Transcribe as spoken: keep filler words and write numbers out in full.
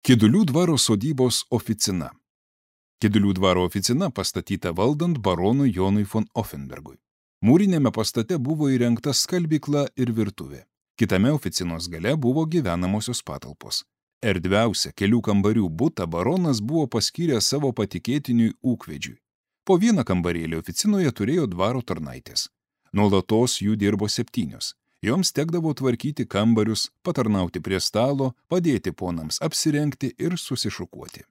Kidulių dvaro sodybos oficina. Kidulių dvaro oficina pastatyta valdant baronui Jonui von Offenbergui. Mūrinėme pastate buvo įrengta skalbykla ir virtuvė. Kitame oficinos gale buvo gyvenamosios patalpos. Erdviausia kelių kambarių butą baronas buvo paskyręs savo patikėtiniui ūkvedžiui. Po vieną kambarėlį oficinoje turėjo dvaro tarnaitės. Nuolatos jų dirbo septynios. Joms tekdavo tvarkyti kambarius, patarnauti prie stalo, padėti ponams apsirengti ir susišukuoti.